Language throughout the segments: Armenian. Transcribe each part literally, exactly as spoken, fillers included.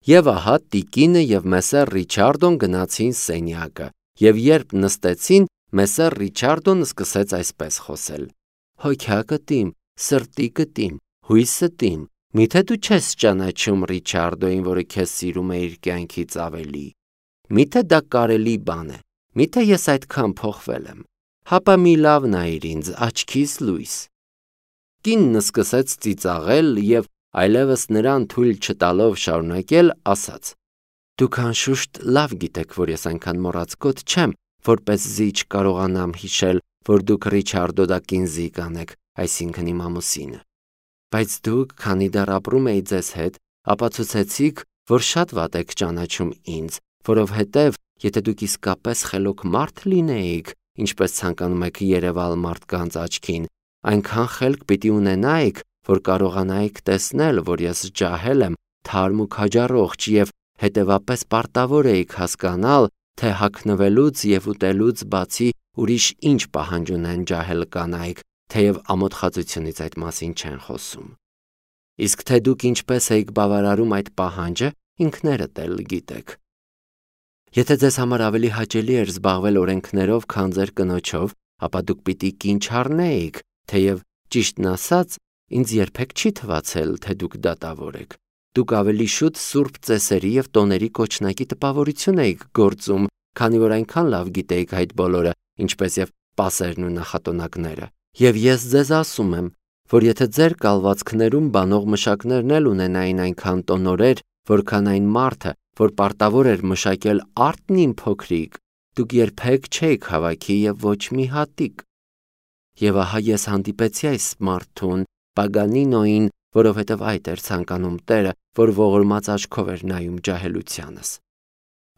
Եվ ահա տիկինը և Մեսեր Ռիչարդոն գնացին սենյակը, և երբ նստեցին, Մեսեր Ռիչարդոն սկսեց այսպես խոսել. «Հոգյակդ իմ, սրտիկդ իմ, հույսդ իմ, միթե դու չես ճանաչում Ռիչարդոին, որը քեզ սիրում է իր կյանքից ավելի։ Միթե դա կարելի բան է, միթե ես այդքան փոխվել եմ, հապա մի լավ նայիր ինձ, աչքիս լույս»։ Կինն սկսեց ծիծաղել և այլևս նրան թույլ չտալով շարունակել, ասաց. «Դուք անշուշտ լավ գիտեք, որ ես այնքան մոռացկոտ չեմ, որպեսզի չկարողանամ հիշել, որ դուք Ռիչարդո Դակինզի կանեք, այսինքն իմ ամուսինը։ Բայց դուք, քանի դեռ ապրում էի ձեզ հետ, ապացուցեցիք, որ շատ վատ եք ճանաչում ինձ, որովհետև եթե դուք իսկապես խելոք մարդ լինեիք, ինչպես ցանկանում եք երևալ մարդկանց աչքին, այնքան խելք պիտի ունենայիք, որ կարողանայիք տեսնել, որ ես ջահել եմ, թարմ ու քաջառողջ և հետևապես պարտավոր էիք հասկանալ, թե հագնվելուց և ուտելուց բացի ուրիշ ինչ պահանջ ունեն ջահել կանայք, թեև ամոթխածությունից այդ մասին չեն խոսում։ Իսկ թե դուք ինչպես էիք բավարարում այդ պահանջը, ինքներդ էլ գիտեք։ Եթե ձեզ համար ավելի հաճելի էր զբաղվել օրենքներով, քան ձեր կնոջով, ապա դուք պիտի կին չառնեիք, թեև ճիշտն ասած, ինձ երբեք չի թվացել, թե դուք դատավոր եք։ Դուք ավելի շուտ սուրբ ծեսերի և տոների կոչնակի տպավորություն էիք գործում, քանի որ այնքան լավ գիտեիք այդ բոլորը, ինչպես և պասերն ու նախատոնակները։ Եվ ես ձեզ ասում եմ, որ եթե ձեր կալվածքներում բանող մշակներն էլ ունենային այնքան տոնորեր, որքան այն մարդը, որ պարտավոր էր մշակել արդն իմ փոքրիկ, դուք երբեք չէիք հավաքի և ոչ մի հատիկ։ Եվ ահա ես հանդիպեցի այս մարդուն, Պագանինոին, որովհետև այդ էր ցանկանում Տերը, որ ողորմած աչքով էր նայում ջահելությանս։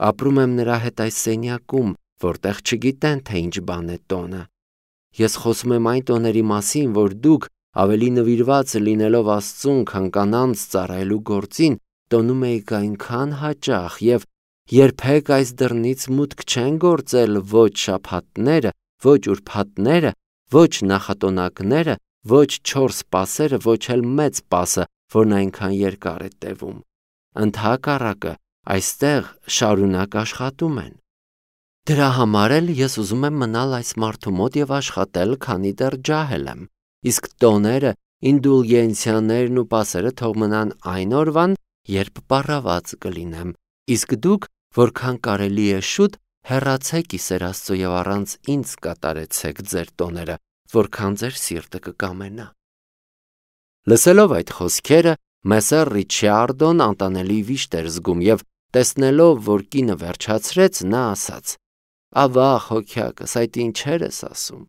Ապրում եմ նրա հետ այս սենյակում, որտեղ չգիտեն, թե ինչ բան է տոնը։ Ես խոսում եմ այն տոների մասին, որ դուք, ավելի նվիրված լինելով Աստծուն, քան կանանց ծառայելու գործին, տոնում էիք այնքան հաճախ և երբեք այս դռնից մուտք չեն գործել ոչ շաբաթները, ոչ ուրբաթները, ոչ նախատոնակները, ոչ չորս պասերը, ոչ էլ մեծ պասը, որն այնքան երկար է տևում։ Ընդհակառակը, այստեղ շարունակ աշխատում են։ Դրա համար էլ ես ուզում եմ մնալ այս մարդու մոտ և աշխատել, քանի դեռ ջահել եմ։ Իսկ տոները, ինդուլգենցիաներն ու պասերը թող մնան այն օրվան, երբ պառաված կլինեմ։ Իսկ դուք, որքան կարելի է շուտ, հեռացեք Իսեր Աստծո և առանց ինձ կատարեցեք ձեր տոները, որքան ձեր սիրտը կկամենա։ Լսելով այդ խոսքերը, Մեսեր Ռիչարդոն անտանելի վիշտ էր զգում և տեսնելով, որ կինը վերջացրեց, նա ասաց. «Ավա՜, հոգյակս, այդ ինչեր ես ասում։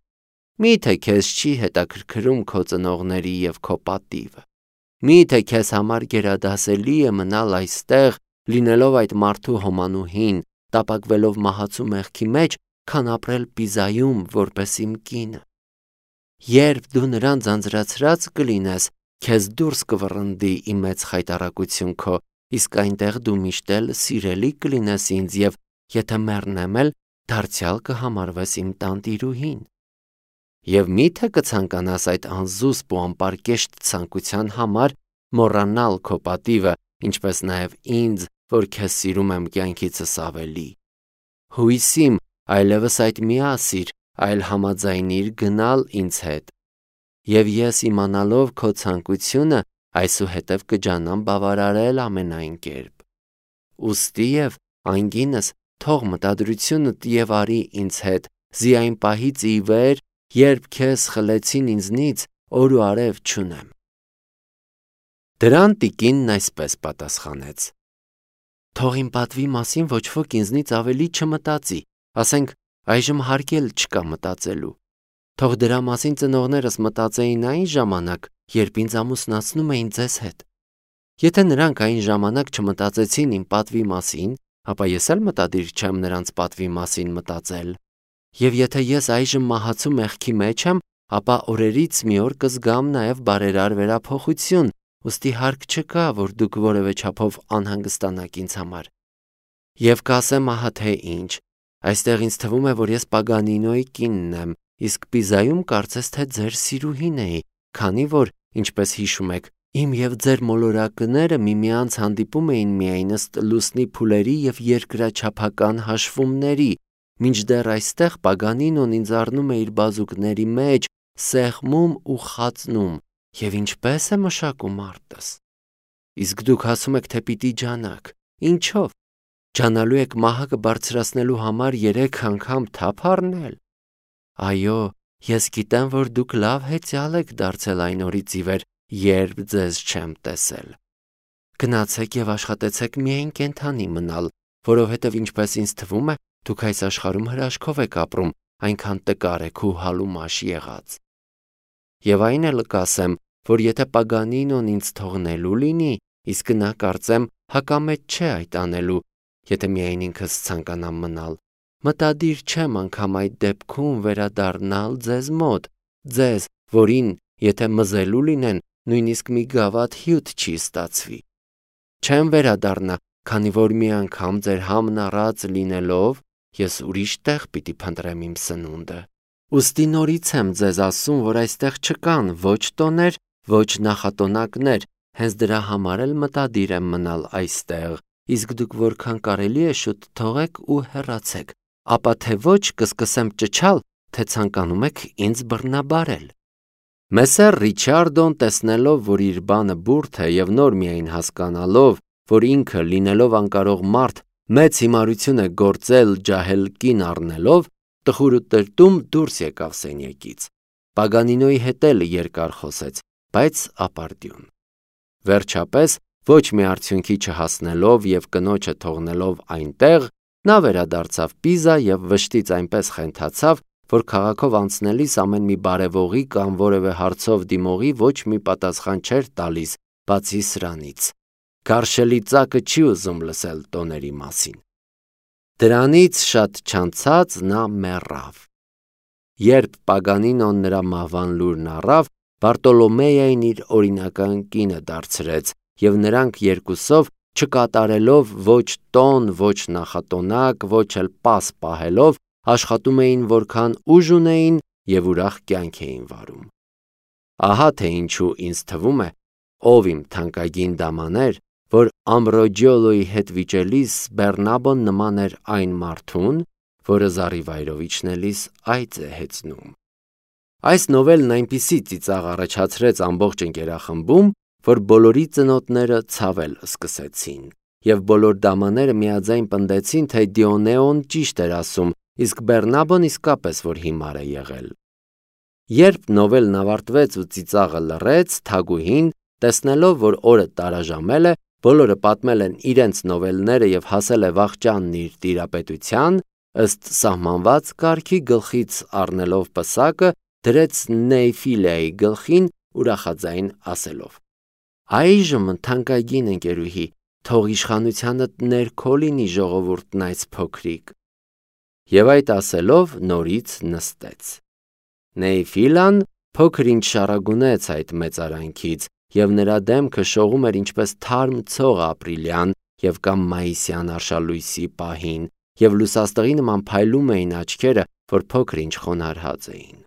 Մի՞թե քեզ չի հետաքրքրում քո ծնողների և քո պատիվը։ Մի՞թե քեզ համար գերադասելի է մնալ այստեղ, լինելով այդ մարդու հոմանուհին, տապակվելով մահացու մեղքի մեջ, քան ապրել Պիզայում, որպես իմ կինը։ Երբ դու նրան ձանձրացրած կլինես, քեզ դուրս կվռնդի իմ մեծ խայտառակություն քո, իսկ այնտեղ դու միշտ էլ սիրելի կլինես ինձ և եթե մեռնեմ էլ, դարձյալ կհամարվես իմ տանտիրուհին։ Եվ մի՞թե կցանկանաս այդ անզուսպ ու անպարկեշտ ցանկության համար մոռանալ քո պատիվը, ինչպես նաև ինձ, որ քեզ սիրում եմ կյանքիցս ավելի։ Հույս իմ, այլևս այդ մի ասիր, այլ համաձայնիր գնալ ինձ հետ։ Եվ ես իմանալով քո ցանկությունը, այսուհետև կջանամ բավարարել ամենայն կերպ։ Ուստիև անգինս թող մտադրությունդ և արի ինձ հետ, զի այն պահից ի վեր, երբ քեզ խլեցին ինձնից, օր ու արև չունեմ։ Դրան տիկինն այսպես պատասխանեց. Թող իմ պատվի մասին ոչ ոք ինձնից ավելի չմտածի, ասենք այժմ հարկ էլ չկա մտածելու։ Թող դրա մասին ծնողներս մտածեին այն ժամանակ, երբ ինձ ամուսնացնում էին ձեզ հետ։ Եթե նրանք այն ժամանակ չմտածեցին իմ պատվի մասին, ապա ես էլ մտադիր չեմ նրանց պատվի մասին մտածել։ Եվ եթե ես այժմ մահացու մեղքի մեջ եմ, ապա օրերից մի օր կզգամ նաև բարերար վերափոխություն, ուստի հարկ չկա, որ դուք որևէ չափով անհանգստանաք ինձ համար։ Եվ կասեմ ահա թե ինչ, այստեղ ինձ թվում է, որ ես Պագանինոյի կինն եմ, իսկ Պիզայում կարծես թե ձեր սիրուհին էի, քանի որ, ինչպես հիշում եք, Իմ և ձեր մոլորակները միմյանց հանդիպում էին միայն ըստ լուսնի փուլերի և երկրաչափական հաշվումների, մինչդեռ այստեղ Պագանինոն ինձ առնում է իր բազուկների մեջ, սեղմում ու խածնում, և ինչպե՞ս է մշակում արտս։ Իսկ դուք ասում եք, թե պիտի ջանաք, ինչով։ Ջանալու եք մահակը բարձրացնելու համար երեք անգամ թափ առնել։ Այո, ես գիտեմ, որ դուք լավ հեծյալ եք դարձել այն օրից ի վեր, երբ ձեզ չեմ տեսել։ Գնացեք և աշխատեցեք միայն կենդանի մնալ, որովհետև ինչպես ինձ թվում է, դուք այս աշխարհում հրաշքով եք ապրում, այնքան տկար եք ու հալումաշ եղած։ Եվ այն էլ կասեմ, որ եթե Պագանինոն ինձ թողնելու լինի, իսկ նա կարծեմ հակամետ չէ այդ անելու, եթե միայն ինքս ցանկանամ մնալ, մտադիր չեմ անգամ այդ դեպքում վերադառնալ ձեզ մոտ, ձեզ, որին, եթե մզելու լինեն, նույնիսկ մի գավաթ հյութ չի ստացվի։ Չեմ վերադառնա, քանի որ մի անգամ ձեր համն առած լինելով, ես ուրիշ տեղ պիտի փնտրեմ իմ սնունդը։ Ուստի նորից եմ ձեզ ասում, որ այստեղ չկան ոչ տոներ, ոչ նախատոնակներ, հենց դրա համար էլ մտադիր եմ մնալ այստեղ, իսկ դուք որքան կարելի է շուտ թողեք ու հեռացեք, ապա թե ոչ կսկսեմ ճչալ, թե ցանկանում եք ինձ բռնաբարել։ Մեսսեր Ռիչարդոն, տեսնելով, որ իր բանը բուրդ է և նոր միայն հասկանալով, որ ինքը լինելով անկարող մարդ մեծ հիմարություն է գործել ջահել կին առնելով, տխուր ու տրտում դուրս եկավ սենյակից։ Պագանինոյի հետ էլ երկար խոսեց, բայց ապարդյուն։ Վերջապես, ոչ մի արդյունքի չհասնելով և կնոջը թողնելով այնտեղ, նա վերադարձավ Պիզա և վշտից այնպես խենթացավ, որ քաղաքով անցնելիս ամեն մի բարևողի կամ որևէ հարցով դիմողի ոչ մի պատասխան չէր տալիս, բացի սրանից։ Գարշելի ծակը չի ուզում լսել տոների մասին։ Դրանից շատ չանցած նա մեռավ։ Երբ Պագանինոն նրա մահվան լուրն առավ, Բարտոլոմեյային իր օրինական կինը դարձրեց, և նրանք երկուսով, չկատարելով ոչ տոն, ոչ նախատոնակ, ոչ էլ պաս պահելով, աշխատում էին որքան ուժ ունեին և ուրախ կյանք էին վարում։ Ահա թե ինչու ինձ թվում է, ով իմ թանկագին դամաներ, որ Ամբրոջիոլոյի հետ վիճելիս Բեռնաբոն նման էր այն մարդուն, որը զառիվայրով իջնելիս այծ է հեծնում։ Այս նովելն այնպիսի ծիծաղ առաջացրեց ամբողջ ընկերախմբում, որ բոլորի ծնոտները ցավել սկսեցին, և բոլոր դամաները միաձայն պնդեցին, թե Դիոնեոն ճիշտ էր ասում, իսկ Բեռնաբոն իսկապես որ հիմար է եղել։ Երբ նովելն ավարտվեց ու ծիծաղը լռեց, Թագուհին, տեսնելով, որ օրը տարաժամել է, բոլորը պատմել են իրենց նովելները և հասել է վախճանն իր տիրապետության, ըստ սահմանված կարգի գլխից առնելով պսակը, դրեց Նեյֆիլեայի գլխին ուրախաձայն ասելով. «Այժմ թանկագին ընկերուհի, թող իշխանությանդ ներքո լինի ժողովուրդն այս փոքրիկ»։ Եվ այդ ասելով նորից նստեց։ Նեյֆիլան փոքր ինչ շառագունեց այդ մեծարանքից, և նրա դեմքը շողում էր ինչպես թարմ ցող ապրիլյան և կամ մայիսյան արշալույսի պահին, և լուսաստղի նման փայլում էին աչքերը, որ փոքր ինչ խոնարհած էին։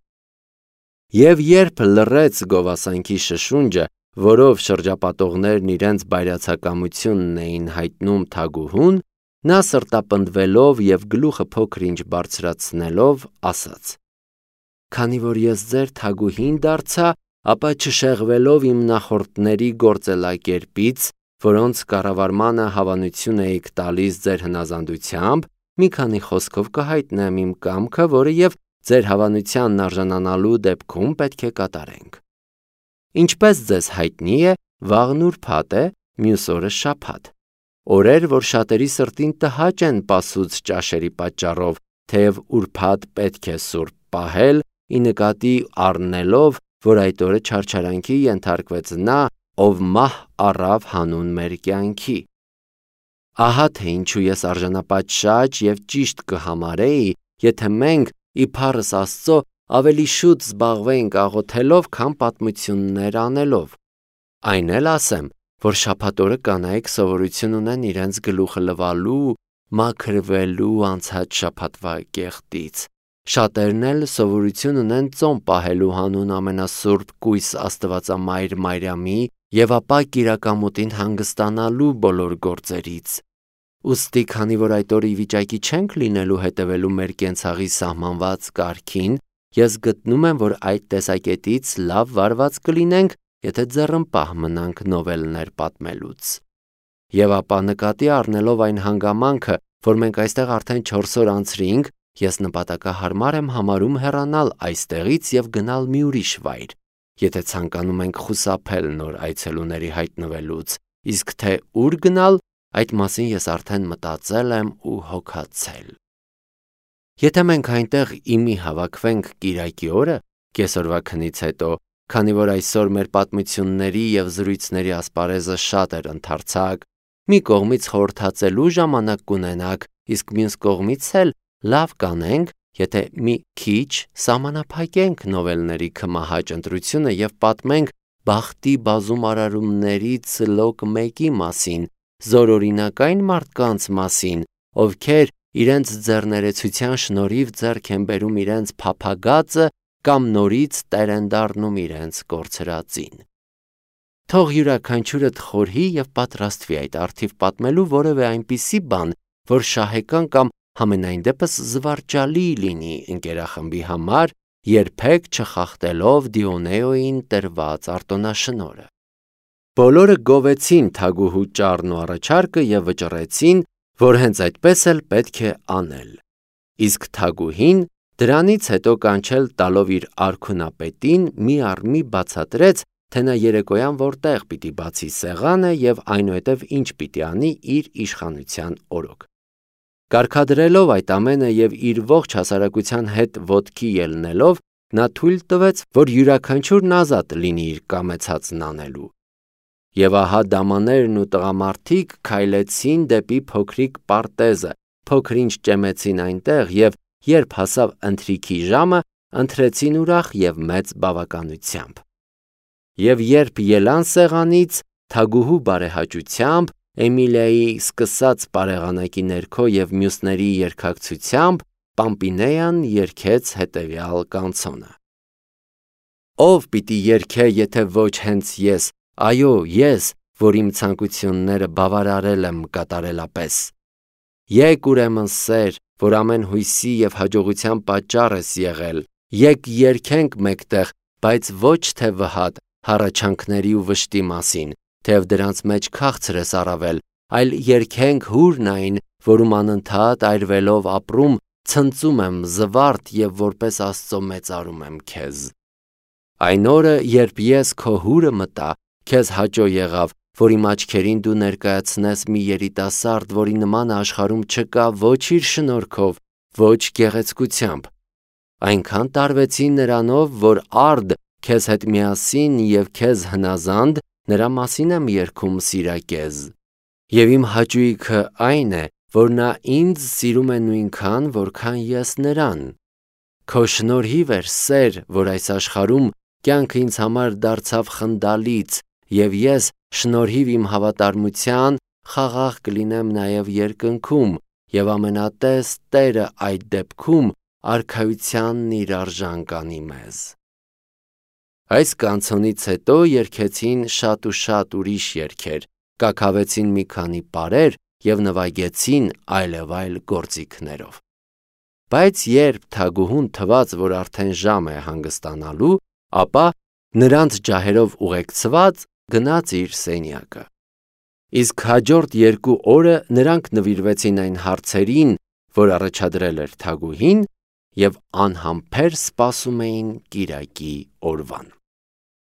Եվ երբ լռեց գովասանքի շշունջը, որով շրջապատողներն իրենց բայրացակամությունն էին հայտնում Թագուհուն, նա սրտապնդվելով և գլուխը փոքր ինչ բարձրացնելով ասաց. «Քանի որ ես ձեր Թագուհին դարձա, ապա չշեղվելով իմ նախորդների գործելակերպից, որոնց կառավարմանը հավանություն էիք տալիս ձեր հնազանդությամբ, մի քանի խոսքով կհայտնեմ իմ կամքը, որը և ձեր հավանությանն արժանանալու դեպքում պետք է կատարենք։ Ինչպես ձեզ հայտնի է, վաղն ուրբաթ է, մյուս օրը շաբաթ, օրեր, որ շատերի սրտին տհաճ են պասուց ճաշերի պատճառով, թեև ուրբաթ պետք է սուրբ պահել, ի նկատի առնելով, որ այդ օրը չարչարանքի ենթարկվեց նա, ով մահ առավ հանուն մեր կյանքի։ Ահա թե ինչու ես արժանապատշաճ և ճիշտ կհամարեի, եթե մենք, իբարս Աստծո, ավելի շուտ զբաղվեինք աղոթելով, քան պատմություններ անելով։ Այն էլ ասեմ, որ շաբաթ օրը կանայք սովորություն ունեն իրենց գլուխը լվալու, մաքրվելու անցած շաբաթվա կեղտից։ Շատերն էլ սովորություն ունեն ծոմ պահելու հանուն ամենասուրբ կույս Աստվածամայր Մարիամի եւ ապա կիրակամուտին հանգստանալու բոլոր գործերից։ Ուստի, քանի որ այդ օրը ի վիճակի չենք լինելու հետևելու մեր կենցաղի սահմանված կարգին, ես գտնում եմ, որ այդ տեսակետից լավ վարված կլինենք, եթե ձեռնպահ մնանք նովելներ պատմելուց։ Եվ ապա նկատի առնելով այն հանգամանքը, որ մենք այստեղ արդեն չորս օր անցրինք, ես նպատակահարմար եմ համարում հեռանալ այստեղից եւ գնալ մի ուրիշ վայր, եթե ցանկանում ենք խուսափել նոր այցելուների հայտնվելուց, իսկ թե ուր գնալ, այդ մասին ես արդեն մտածել եմ ու հոգացել։ Եթե մենք այնտեղ իմի հավաքվենք կիրակի օրը, կեսօրվա քնից հետո, քանի որ այսօր մեր պատմությունների եւ զրույցների ասպարեզը շատ էր ընդարձակ, մի կողմից խորհրդածելու ժամանակ կունենաք, իսկ մյուս կողմից էլ լավ կանենք, եթե մի քիչ սահմանափակենք նովելների քմահաճ ընտրությունը եւ պատմենք բախտի բազում արարումներից լոկ մեկի մասին, զորօրինակային մարդկանց մասին, ովքեր իրենց ձեռներեցության շնորհիվ ձեռք են բերում իրենց փափագածը կամ նորից տեր են դառնում իրենց կորցրածին։ Թող յուրաքանչյուրդ խորհի եւ պատրաստվի այդ առթիվ պատմելու որևէ այնպիսի բան, որ շահեկան կամ համենայն դեպս զվարճալի լինի ընկերախմբի համար, երբեք չխախտելով Դիոնեոյին տրված արտոնաշնորհը։ Բոլորը գովեցին թագուհու ճառն ու առաջարկը եւ վճռեցին, որ հենց այդպես էլ պետք է անել։ Իսկ թագուհին դրանից հետո կանչել տալով իր արքունապետին մի առ մի բացատրեց, թե նա երեկոյան որտեղ պիտի բացի սեղանը եւ այնուհետև ինչ պիտի անի իր իշխանության օրոք։ Կարգադրելով այդ ամենը եւ իր ողջ հասարակության հետ ոտքի ելնելով, նա թույլ տվեց, որ յուրաքանչյուրն ազատ լինի իր կամեցածն անելու։ Եվ ահա դամաներն ու տղամարդիկ քայլեցին դեպի փոքրիկ պարտեզը, փոքրինչ ճեմեցին այնտեղ եւ երբ հասավ ընթրիքի ժամը, ընթրեցին ուրախ եւ մեծ բավականությամբ։ Եվ երբ ելան սեղանից, թագուհու բարեհաճությամբ, Էմիլիայի սկսած բարեղանակի ներքո եւ մյուսների երկակցությամբ, Պամպինեան երգեց հետևյալ կանցոնը. Ով պիտի երգե, եթե ոչ հենց ես, այո, ես, որ իմ ցանկությունները բավարարել եմ կատարելապես։ Եկ ուրեմն սեր, որ ամեն հույսի եւ հաջողության պատճառ ես եղել, եկ երգենք մեկտեղ, բայց ոչ թե վհատ, հառաչանքների ու վշտի մասին, թեև դրանց մեջ քաղցր ես առավել, այլ երգենք հուրն այն, որում անընդհատ այրվելով ապրում, ցնծում եմ զվարթ եւ որպես Աստծո մեծարում եմ քեզ։ Այն օրը, երբ ես քո հուրը մտա, քեզ հաճո եղավ, որ իմ աչքերին դու ներկայացնես մի երիտասարդ, որի նմանը աշխարհում չկա ոչ իր շնորհքով, ոչ գեղեցկությամբ։ Այնքան տարվեցի նրանով, որ արդ քեզ հետ միասին եւ քեզ հնազանդ նրա մասին եմ երգում սիրակեզ։ Եվ իմ հաճույքը այն է, որ նա ինձ սիրում է նույնքան, որքան ես նրան։ Քո շնորհիվ էր սեր, որ այս աշխարհում կյանքը ինձ համար դարձավ խնդալից, եւ ես շնորհիվ իմ հավատարմության խաղաղ կլինեմ նաեւ երկնքում, եւ ամենատես Տերը այդ դեպքում արքայությանն իր արժան կանի մեզ։ Այս կանցոնից հետո երգեցին շատ ու շատ ուրիշ երգեր, կաքավեցին մի քանի պարեր եւ նվագեցին այլևայլ գործիքներով։ Բայց երբ թագուհուն թված, որ արդեն ժամ է հանգստանալու, ապա նրանց ջահերով ուղեկցված գնաց իր սենյակը։ Իսկ հաջորդ երկու օրը նրանք նվիրվեցին այն հարցերին, որ առաջադրել էր թագուհին, եւ անհամբեր սպասում էին կիրակի օրվան։